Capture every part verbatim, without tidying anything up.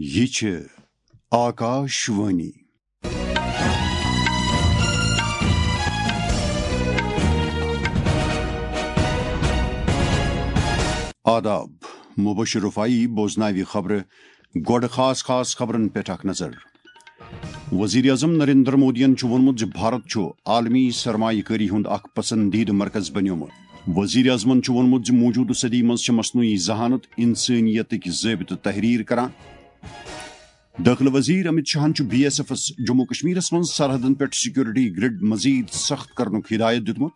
یہِ چھِ آکاش وانی۔ آداب، مبشر رفاعی بوزناوِ خبرٕ۔ گۄڈٕ خاص خاص خبرن پٮ۪ٹھ اکھ نظر۔ وزیر اعظم نریندر مودیَن چھُ ووٚنمُت زِ بھارت چھُ عالمی سرمایہ کٲری ہُنٛد اکھ پسندیدٕ مرکز بنیومُت۔ وزیر اعظمَن چھُ ووٚنمُت زِ موجودٕ صدی منٛز چھِ مصنوعی ذہانت انسٲنیتٕکۍ ضٲبطہٕ تحریر کران۔ دٲخلہٕ وزیر امت شاہن چھُ بی ایس ایفس جموں کشمیرس منٛز سرحدن پٮ۪ٹھ سیکورٹی گرڈ مزید سخت کرنُک ہدایت دیُتمُت۔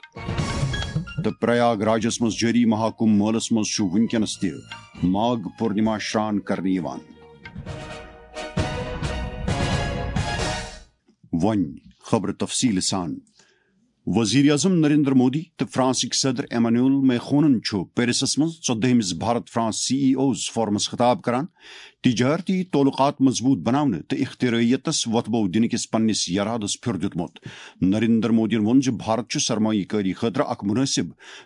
تہٕ پریاگ راجس منٛز جٲری مہاکمبھ مٲلس منٛز چھُ وُنکیٚنس تہِ ماگھ پورنما شران کرنہٕ یِوان۔ وۄنۍ خبرٕ تفصیٖل سان۔ وزیر اعظم نریندر مودی تہٕ فرانسٕکۍ صدر ایمانوئل میخونن چھُ پیرسس منٛز ژۄدٲہمِس Bharat France C E Os forums خطاب کران تجارتی تعلقات مضبوط بناونہٕ تہٕ اختراعیتس وۄتھبو دِنہٕ کِس پننِس یرادس پھیُر دیُتمُت۔ نریندر مودیَن ووٚن زِ بھارت چھُ سرمایہ کٲری خٲطرٕ اکھ مناسب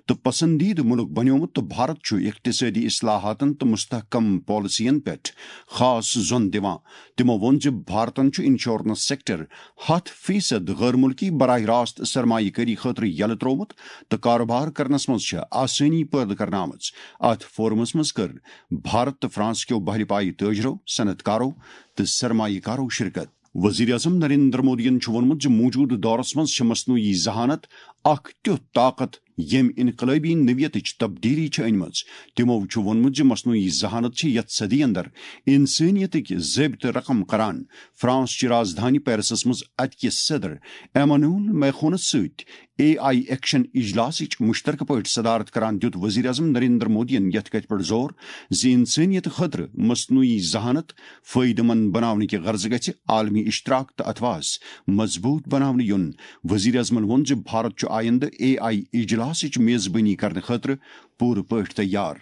تہٕ پسندیدٕ مُلک بنیومُت تہٕ بھارت چھُ اقتصٲدی اصلاحاتن تہٕ مستحکم پالیسین پٮ۪ٹھ خاص زۄن دِوان۔ تِمو ووٚن زِ بھارتن چھُ انشورنس سیکٹر ہتھ فیصد غٲر مُلکی براہ راست سرمایہ کٲری خٲطرٕ یَلہٕ ترٛوومُت تہٕ کاروبار کرنس منٛز چھِ آسٲنی پٲدٕ کرنہٕ آمٕژ۔ اتھ فورمس منٛز کٔر بھارت تہٕ فرانس کیو بحلہِ پایہِ تٲجرو، صنعت کارو تہٕ سرمایہ کارو شرکت۔ وزیر اعظم نریندر مودیَن چھُ ووٚنمُت زِ موجودٕ دورس منٛز چھِ مصنوعی ذہانت اکھ تیُتھ طاقت ییٚمۍ انقلٲبی نوعیتٕچ تبدیلی چھِ أنمٕژ۔ تِمو چھُ ووٚنمُت زِ مصنوعی ذہانت چھِ یتھ صدی اندر انسٲنیتٕکۍ ضٲبطہٕ رقم کران۔ فرانس چہِ رازدھانی پیرسس منٛز اتہِ کِس صدر ایمانوئل میخونس سۭتۍ اے آئی ایکشن اجلاسٕچ مشترکہٕ پٲٹھۍ صدارت کران دیُت وزیر اعظم نریندر مودیَن یتھ کتھِ پٮ۪ٹھ زور زِ انسٲنیت خٲطرٕ مصنوعی ذہانت فٲیدٕ مند بناونہٕ کہِ غرضہٕ گژھِ عالمی اشتراک تہٕ اتھواس مضبوط بناونہٕ یُن۔ وزیر اعظمن ووٚن زِ بھارت چھُ آیندٕ اے آئی اجلاسٕچ میزبٲنی کرنہٕ خٲطرٕ پوٗرٕ پٲٹھۍ تیار۔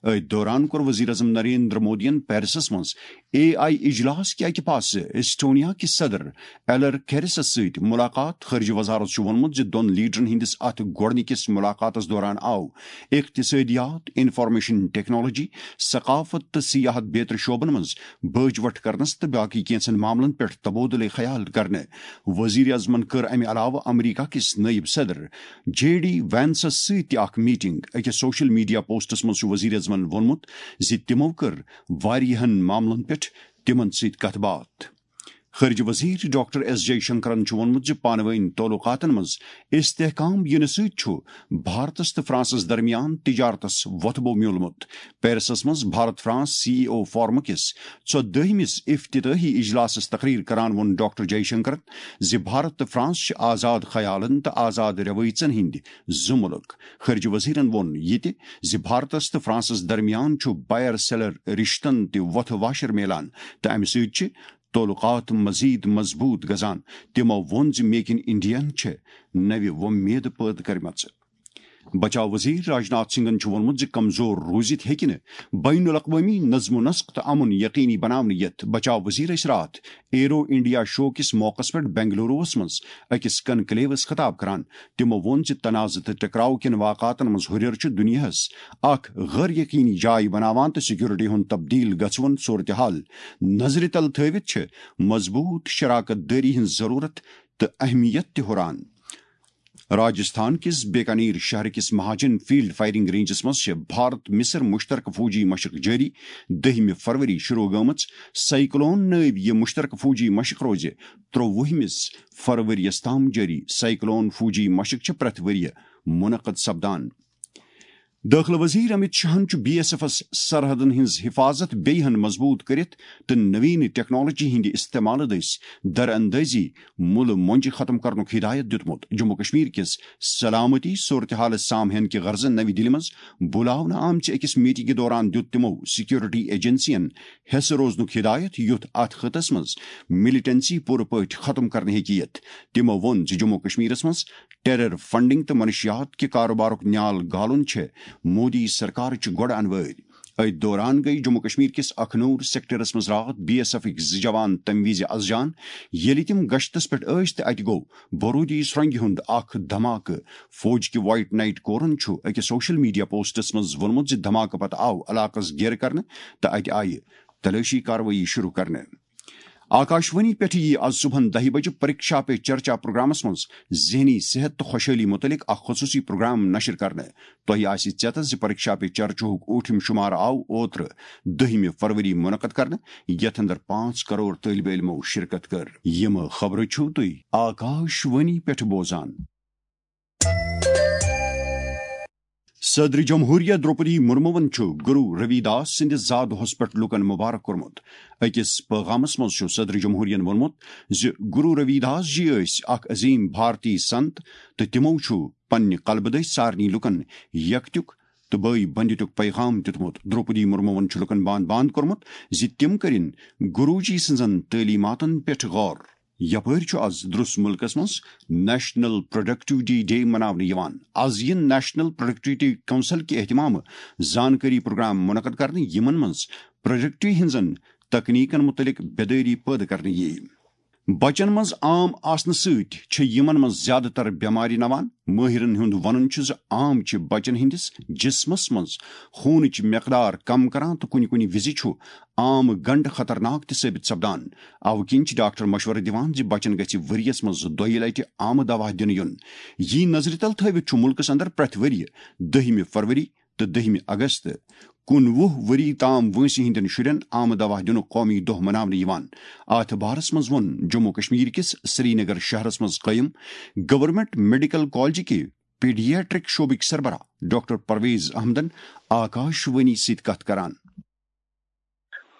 أتھۍ دوران کوٚر وزیر اعظم نریندر مودیَن پیرسس منٛز اے آئی اجلاس کہِ اکہِ پاسہٕ ایسٹونیا کِس صدر ایلر کیرسس سۭتۍ ملاقات۔ خارجہ وزارت چھُ ووٚنمُت زِ دۄن لیڈرن ہٕنٛدِس اتھ گۄڈٕنِکِس ملاقاتس دوران آو اقتصٲدیات، انفارمیشن ٹیکنالوجی، ثقافت تہٕ سیاحت بیترِ شعبن منٛز بٲج وٹھ کرنس تہٕ باقی کینٛژن معاملن پٮ۪ٹھ تبادلہ خیال کرنہٕ۔ وزیر اعظمن کٔر امہِ علاوٕ امریکہ کِس نٲیِب صدر جے ڈی وینسس سۭتۍ تہِ اکھ میٹنگ۔ أکِس سوشل میڈیا پوسٹس منٛز چھُ وزیر اعظمن ووٚنمُت زِ تِمو کٔر واریاہن معاملن پٮ۪ٹھ تِمن سۭتۍ کتھ باتھ۔ خارجہ وزیر ڈاکٹر ایس جے شنکرن چھُ ووٚنمُت زِ پانہٕ وٲنۍ تعلقاتن منٛز استحکام یِنہٕ سۭتۍ چھُ بھارتس تہٕ فرانسس درمیان تجارتس وۄتھبو میوٗلمُت۔ پیرسس منٛز بھارت فرانس سی ای او فورم کِس ژۄدٲہمِس افتتاحی اجلاسس تقریر کران ووٚن ڈاکٹر جے شنکرن زِ بھارت تہٕ فرانس چھِ آزاد خیالن تہٕ آزاد روٲیژن ہٕنٛدۍ زٕ مُلک۔ خارجہ وزیرن ووٚن یہِ تہِ زِ بھارتس تہٕ فرانسس درمیان چھُ بائر سیلر رشتن تہِ وۄتھٕ واشر میلان تہٕ امہِ سۭتۍ چھِ تعلقات مزید مضبوط گژھان۔ تِمو ووٚن زِ میک ان انڈیاہن چھِ نوِ وۄمید پٲدٕ کٔرمٕژ۔ بچاو وزیر راجناتھ سنگھن چھُ ووٚنمُت زِ کمزور روٗزِتھ ہیٚکہِ نہٕ بین الاقوٲمی نظم و نسق تہٕ امن یقینی بناونہٕ یِتھ۔ بچاو وزیر ٲسۍ راتھ ایرو انڈیا شو کِس موقعس پٮ۪ٹھ بنگلوروَس منٛز أکِس کنکلیوس خطاب کران۔ تِمو ووٚن زِ تنازٕ تہٕ ٹکراو کٮ۪ن واقعاتن منٛز ہُرٮ۪ر چھُ دُنیاہَس اکھ غٲر یقینی جاے بناوان تہٕ سیکورٹی ہُنٛد تبدیل گژھوُن صورتحال نظرِ تل تھٲوِتھ چھِ مضبوط شراکت دٲری ہٕنٛز ضروٗرت تہٕ اہمیت تہِ ہُران۔ راجستھان کِس بیکانیر شہر کِس مہاجن فیلڈ فائرنگ رینجس منٛز چھِ بھارت مصر مشترکہٕ فوجی مشق جٲری۔ دٔہمہِ فروری شروع گٔمٕژ سائیکلون نٲوۍ یہِ مشترکہٕ فوجی مشق روزِ ترٛووُہمِس فروریَس تام جٲری۔ سائیکلون فوجی مشق چھِ پرٛٮ۪تھ ؤرۍ یہِ منعقد سپدان۔ دٲخلہٕ وزیر امت شاہن چھُ بی ایس ایفس سرحدن ہٕنٛز حفاظت بیٚیہِ ہن مضبوط کٔرِتھ تہٕ نوین ٹیکنالوجی ہٕنٛدِ استعمالہٕ دٔسۍ در اندٲزی مُلہٕ مۄنجہِ ختم کرنُک ہدایت دیُتمُت۔ جموں کشمیر کِس سلامتی صورتحالہٕ سامہن کہِ غرضہٕ نَوِ دِلہِ منٛز بُلاونہٕ آمژِ أکِس میٹنگہِ دوران دیُت تِمو سیکورٹی ایجنسین حصہٕ روزنُک ہدایت، یُتھ اتھ خطس منٛز ملیٹنسی پوٗرٕ پٲٹھۍ ختم کرنہٕ ہیٚکہِ یِتھ۔ تِمو ووٚن زِ جموں کشمیرس منٛز ٹیرر فنڈنگ تہٕ منشیات کہِ کاروبارُک نیال گالُن چھِ مودی سرکارٕچ گۄڈٕ انوٲرۍ۔ أتھۍ دوران گٔیہِ جموں کشمیر کِس اکھنور سیکٹرس منٛز راتھ بی ایس ایفٕکۍ زٕ جوان تَمہِ وِزِ از جان، ییٚلہِ تِم گشتس پٮ۪ٹھ ٲسۍ تہٕ اَتہِ گوٚو بارودی سرنگہِ ہُنٛد اکھ دھماکہٕ۔ فوج کہِ وائٹ نائٹ کورن چھُ أکِس سوشل میڈیا پوسٹس منٛز ووٚنمُت زِ دھماکہٕ پتہٕ آو علاقس گیرٕ کرنہٕ تہٕ اَتہِ آیہِ تلٲشی کاروٲیی شروع کرنہٕ۔ آکاشوانی پٮ۪ٹھ یِیہِ از صبحن دَہہِ بجہِ پریکشا پے چرچا پروگرامس منٛز ذہنی صحت تہٕ خۄشحٲلی متعلق اکھ خصوٗصی پروگرام نشر کرنہٕ۔ تۄہہِ آسہِ ژیتس زِ پریکشا پے چرچاہُک ٲٹھِم شمارٕ آو اوترٕ، دٔہمہِ فروری، منعقد کرنہٕ، یتھ اندر پانٛژھ کرور طٲلبہِ علمو شرکت کٔر۔ یِم خبرٕ چھِو تُہۍ آکاشوانی پٮ۪ٹھ بوزان۔ صدر جمہوریہ درٛوپدی مرموَن چھُ گرو روی داس سٕنٛدِس زا دۄہَس پٮ۪ٹھ لوٗکَن مبارک کوٚرمُت۔ أکِس پٲغامَس منٛز چھُ صدر جمہوریہَن ووٚنمُت زِ گرو روی داس جی ٲسۍ اکھ عظیٖم بھارتی سنت تہٕ تِمَو چھُ پننہِ قلبہٕ دٔسۍ سارنٕے لوٗکَن یکتیُک تہٕ بٲے بندیتُک پیغام دیُتمُت۔ درٛوپدی مرموَن چھُ لوٗکَن باند باند کوٚرمُت زِ تِم کٔرِن گروجی سٕنٛزَن تعلیماتَن پٮ۪ٹھ غور۔ یپٲرۍ چھُ از درس ملکس منٛز نیشنل پروڈکٹیوٹی ڈے مناونہٕ یِوان۔ از یِن نیشنل پروڈکٹیوٹی کونسل کہِ اہتمامہٕ زانکٲری پروگرام منعقد کرنہٕ، یِمن منٛز پروڈکٹی ہٕنٛزن تکنیکن متعلق بیدٲری پٲدٕ کرنہٕ یِیہِ۔ بچن منٛز عام آسنہٕ سۭتۍ چھِ یِمن منٛز زیادٕ تر بٮ۪مارِ نوان۔ مٲہرن ہُنٛد ونُن چھُ زِ عام چھِ بچن ہٕنٛدِس جسمس منٛز خوٗنٕچ مقدار کم کران تہٕ کُنہِ کُنہِ وِزِ چھُ عام گنڈٕ خطرناک تہِ ثٲبت سپدان۔ اوٕ کِنۍ چھِ ڈاکٹر مشورٕ دِوان زِ بچن گژھِ ؤریَس منٛز دۄیہِ لٹہِ آمہٕ دوا دِنہٕ یُن۔ یی نظرِ تل تھٲوِتھ چھُ مُلکَس اندر پرٛٮ۪تھ ؤرۍ یہِ دٔہمہِ فروری تہٕ دٔہمہِ اگست کُنوُہ ؤری تام وٲنٛسہِ ہٕنٛدٮ۪ن شُرٮ۪ن آمہٕ دوا دِنُک قومی دۄہ مناونہٕ یِوان۔ اَتھ بارس منٛز ووٚن جموں کشمیر کِس سرینگر شہرس منٛز قٲیِم گورنمنٹ میڈیکل کالجہِ کہِ پیڈیاٹرک شعبٕکۍ سربراہ ڈاکٹر پرویز احمدن آکاشوانی سۭتۍ کتھ کران۔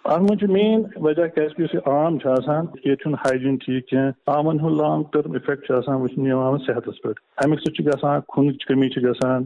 اتھ منٛز چھُ مین وجہ کیازِ کہِ یُس یہِ عام چھُ آسان، ییٚتہِ چھُنہٕ ہایجیٖن ٹھیٖک کینٛہہ، عامن ہُنٛد لانگ ٹٔرم افیکٹ چھُ آسان وٕچھنہٕ یِوان صحتس پٮ۪ٹھ۔ امیُک سۭتۍ چھُ گژھان خوٗنٕچ کمی چھِ گژھان،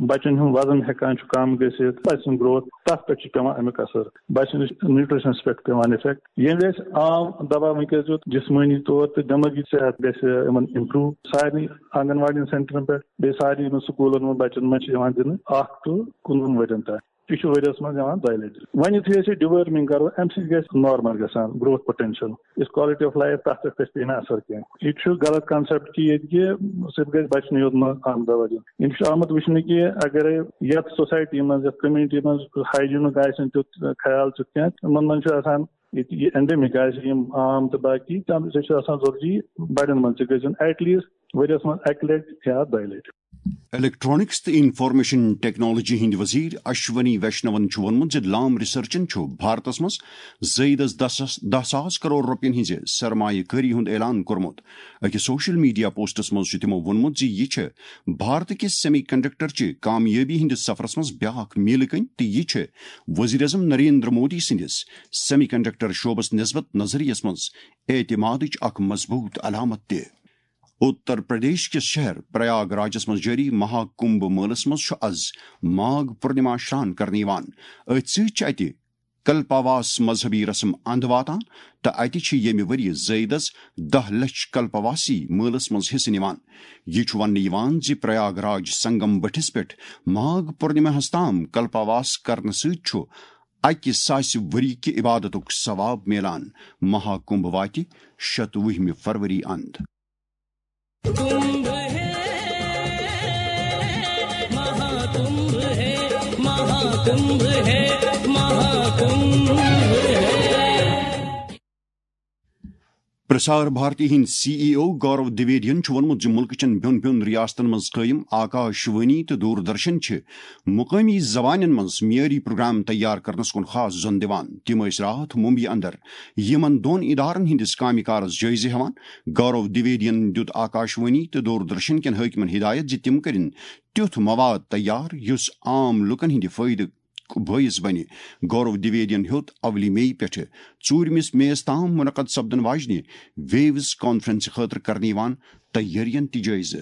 بچن ہُنٛد وزن ہٮ۪کان چھُ کم گٔژھِتھ، بچہٕ سٕنٛز گروتھ تتھ پٮ۪ٹھ چھُ پٮ۪وان امیُک اثر۔ بچہٕ سٕنٛدِس نیوٹریشنس پٮ۪ٹھ پٮ۪وان افیکٹ۔ ییٚمہِ وِزِ عام دوا وٕنکیٚس دیُت جسمٲنی طور تہٕ دٮ۪مٲغی صحت گژھِ یِمن امپروو سارنٕے آنگن واڑین سینٹرن پٮ۪ٹھ، بیٚیہِ سارنٕے یِمن سکوٗلن منٛز بچن منٛز چھِ یِوان دِنہٕ اکھ ٹُو کُنوُہن ؤرین تام۔ یہِ چھُ ؤریَس منٛز یِوان دۄیہِ لَٹہِ۔ وۄنۍ یُتھُے أسۍ یہِ deworming کرو، اَمہِ سۭتۍ گژھِ normal گژھان growth potential۔ یُس quality of life، تَتھ پٮ۪ٹھ گژھِ پیٚیہِ نہٕ اثر کینٛہہ۔ یہِ تہِ چھُ غلط concept کہِ ییٚتہِ کہِ صرف گژھِ بَچنٕے یوت منٛز اَہَم دوا دیُن۔ یِم چھُ آمُت وٕچھنہٕ کہِ اگر یَتھ society منٛز، یَتھ community منٛز hygiene-ُک آسہِ نہٕ تیُتھ خیال تیُتھ کینٛہہ، تِمَن منٛز چھُ آسان ییٚتہِ یہِ endemic آسہِ، یِم عام تہٕ باقی، تَمہِ سۭتۍ چھُ آسان ضروٗری بَڑٮ۪ن منٛز تہِ گژھِ دیُن at least ؤریَس منٛز اَکہِ لَٹہِ یا دۄیہِ لَٹہِ۔ الیکٹرانکس تہٕ انفارمیشن ٹیکنالوجی ہٕنٛدۍ وزیر اشونی ویشنون چھُ ووٚنمُت زِ لام ریسرچن چھُ بھارتس منٛز زٲیدس دَہ ساس، دَہ ساس کرور رۄپین ہٕنٛزِ سرمایہ کٲری ہُنٛد اعلان کوٚرمُت۔ أکِس سوشل میڈیا پوسٹس منٛز چھُ تِمو ووٚنمُت زِ یہِ چھِ بھارت کِس سیمی کنڈکٹر چہِ کامیٲبی ہٕنٛدِس سفرس منٛز بیاکھ میٖلہٕ کٔنۍ تہٕ یہِ چھِ وزیر اعظم نریندر مودی سٕنٛدِس سیمی کنڈکٹر شعبس نسبت نظریس منٛز اعتمادٕچ اکھ مضبوٗط علامت تہِ۔ اتر پردیش کِس شہر پریاگ راجس منٛز جٲری مہا کمبھ مٲلس منٛز چھُ از ماگ پورنما شران کرنہٕ یِوان۔ أتھۍ سۭتۍ چھِ اتہِ کلپاواس مذہبی رسم اند واتان تہٕ اتہِ چھِ ییٚمہِ ؤریہِ زٲیدس دَہ لچھ کلپاواسی مٲلس منٛز حصہٕ نِوان۔ یہِ چھُ وننہٕ یِوان زِ پریاگ راج سنگم بٔٹھِس پٮ۪ٹھ ماگ پورنماہس تام کلپاواس کرنہٕ سۭتۍ چھُ اکہِ ساسہِ ؤری کہِ عبادتُک ثواب میلان۔ مہا کمبھ واتہِ شتوُہمہِ فروری اند۔ کمبھ ہے، مہا کمبھ ہے، مہا کمبھ ہے، مہا کمبھ ہے۔ پرسار بھارتی ہٕنٛدۍ سی ای او گورو دویدین چھُ ووٚنمُت زِ مُلکہٕ چٮ۪ن بیوٚن بیوٚن ریاستن منٛز قٲیِم آکاش وانی تہٕ دوردرشن چھِ مقٲمی زبانن منٛز معیٲری پروگرام تیار کرنس کُن خاص زۄن دِوان۔ تِم ٲسۍ راتھ ممبئی اندر یِمن دۄن ادارن ہٕنٛدِس کامہِ کارس جٲیزٕ ہٮ۪وان۔ گورو دویدین دیُت آکاش وانی تہٕ دوردرشن کٮ۪ن حٲکمن ہدایت زِ تِم کٔرِن تیُتھ مواد تیار یُس عام لوٗکن ہٕنٛدِ فٲیدٕ بٲعث بنہِ۔ گورو دویدین ہیوٚت اولی مئی پٮ۪ٹھٕ ژوٗرمِس مئیس تام منعقد سپدن واجنہِ ویوز کانفرنسہِ خٲطرٕ کرنہٕ یِوان تیٲرین تہِ جٲیزٕ۔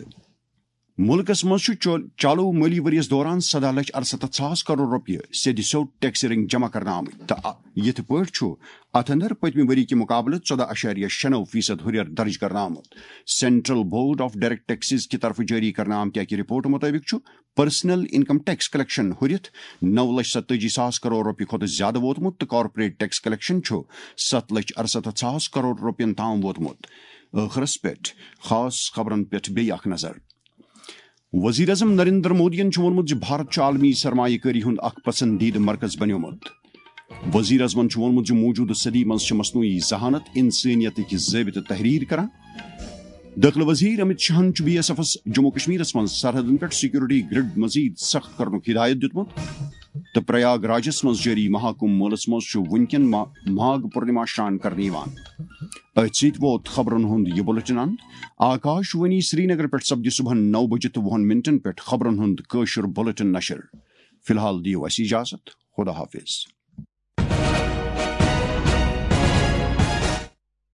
مُلکس منٛز چھُ چو-، چالو مٲلی ؤرۍ یَس دوران سَداہ لچھ اَرسَتَتھ ساس کرور رۄپیہِ سیٚدِ سیوٚد ٹیکسہٕ رٔنگۍ جمع کرنہٕ آمٕتۍ تہٕ آ-، یِتھ پٲٹھۍ چھُ اتھ اندر پٔتمہِ ؤری کہِ مُقابلہٕ ژۄداہ اَشاریہ شےٚ نَو فیصد ہُرٮ۪ر درج کرنہٕ آمُت۔ Central board of direct taxes کہِ طرفہٕ جٲری کرنہٕ آمتہِ اکہِ رپورٹ مُطٲبِق چھُ پرسنل انکم ٹیکس کلیکشن ہُرِتھ نَو لچھ ستٲجی ساس کرور رۄپیہِ کھۄتہٕ زیادٕ ووتمُت تہٕ کارپوریٹ ٹیکس کلیکشن چھُ سَتھ لچھ اَرسَتَتھ ساس کرور رۄپین تام ووتمُت۔ ٲخرس پٮ۪ٹھ خاص خبرن پٮ۪ٹھ بیٚیہِ اکھ نظر۔ وزیر اعظم نریندر مودیَن چھُ ووٚنمُت زِ بھارت چھُ عالمی سرمایہ کٲری ہُنٛد اکھ پسندیدٕ مرکز بنیومُت۔ وزیر اعظمن چھُ ووٚنمُت زِ موجودٕ صدی منٛز چھِ مصنوعی ذہانت انسٲنیتٕکۍ ضٲبطہٕ تحریر کران۔ دٲخلہٕ وزیر امت شاہن چھُ بی ایس ایفس جموں کشمیرس منٛز سرحدن پٮ۪ٹھ سیکورٹی گرڈ مزید سخت کرنُک ہدایت دیُتمُت۔ تہٕ پریاگ راجس منٛز جٲری مہاکمبھ مٲلس منٛز چھُ وُنکٮ۪ن ما-، ماگھ پورنما شران کرنہٕ یِوان۔ أتھۍ سۭتۍ ووت خبرن ہُنٛد یہِ بُلٹن اند۔ آکاش وانی سرینگر پٮ۪ٹھ سپدِ صبحن نو بجہِ تہٕ وُہن منٹن پٮ۪ٹھ خبرن ہُنٛد کٲشُر بُلٹن نشر۔ فی الحال دِیِو اَسہِ اجازت۔ خدا حافظ۔